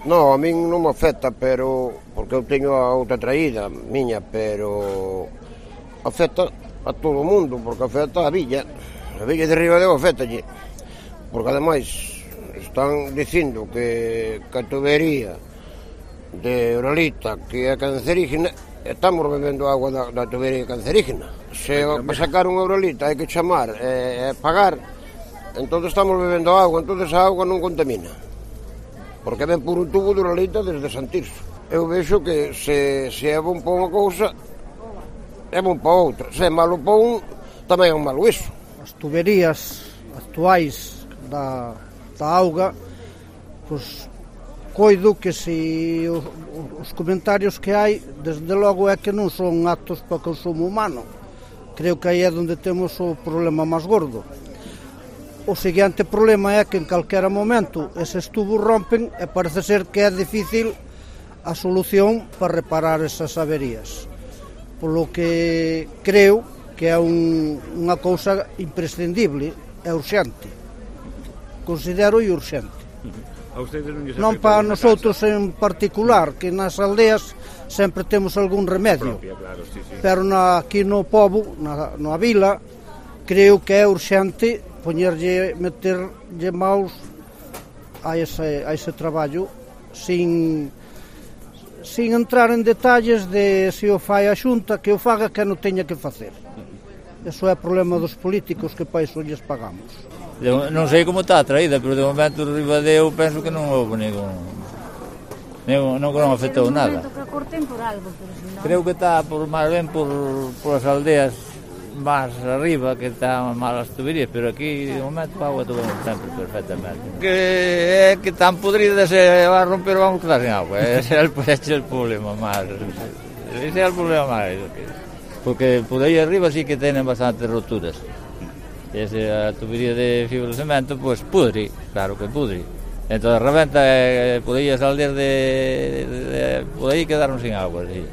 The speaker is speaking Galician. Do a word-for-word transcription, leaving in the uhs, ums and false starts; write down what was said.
Non, a min non me afecta, pero porque eu teño a outra traída miña, pero afecta a todo o mundo, porque afecta a villa. A villa de Ribadeo afectalle, porque ademais están dicindo que, que a tubería de Uralita que é cancerígena, estamos bebendo agua da, da tubería cancerígena. Se para sacar unha Uralita hai que chamar e eh, pagar, entón estamos bebendo agua, entón a auga non contamina, porque ven por un tubo de Uralita desde Santirso. Eu vexo que se, se é bon para unha cousa, é bon para outra. Se é malo para un, tamén é malo iso. As tuberías actuais da, da auga, pois coido que se os, os comentarios que hai, desde logo é que non son aptos para consumo humano. Creo que aí é onde temos o problema máis gordo. O seguinte problema é que en calquera momento eses tubos rompen e parece ser que é difícil a solución para reparar esas averías. Polo que creo que é un, unha cousa imprescindible, é urxente. Considero e urxente. A ustedes non lles Non para nosotros en particular, que nas aldeas sempre temos algún remedio, propia, claro, sí, sí. Pero na, aquí no pobo, na, na vila, creo que é urxente poñerlle, meterlle maus a ese, a ese traballo sin, sin entrar en detalles de se o fai a Xunta, que o faga que non teña que facer. Eso é problema dos políticos que para iso lles pagamos. Non sei como está a traída, pero de momento o Ribadeo penso que non houve ningún, ningún non, non afectou nada. Creo que está por máis ben por, por as aldeas máis arriba, que están malas tuberías, pero aquí de momento a auga todo sempre perfectamente. Que é que tan podrida se va a romper, vamos quedar sin agua. Ese é el, ese é el problema máis. Ese é el problema máis. Porque por aí arriba sí que tienen bastantes roturas. Esa tubería de fibra de cemento, pues pudre, claro que pudre. Entonces reventa, eh, por aí as aldeas de, de, de por aí quedaron sin agua, sí.